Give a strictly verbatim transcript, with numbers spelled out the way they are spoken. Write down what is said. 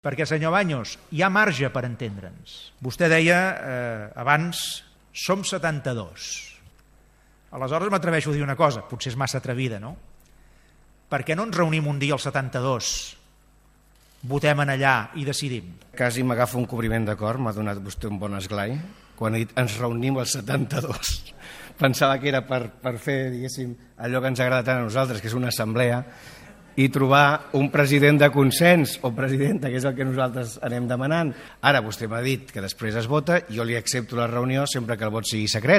Perquè, senyor Baños, hi ha marge per entendre'ns. Vostè deia eh, abans, som setanta-dos. Aleshores m'atreveixo a dir una cosa, potser és massa atrevida, no? Per què no ens reunim un dia al setanta-dos, votem en allà i decidim? Quasi m'agafa un cobriment d'acord, m'ha donat vostè un bon esglai, quan ha dit ens reunim al setanta-dos. Pensava que era per, per fer, diguéssim, allò que ens agrada tant a nosaltres, que és una assemblea, i trobar un president de consens o presidenta, que és el que nosaltres anem demanant. Ara vostè m'ha dit que després es vota, jo li accepto la reunió sempre que el vot sigui secret,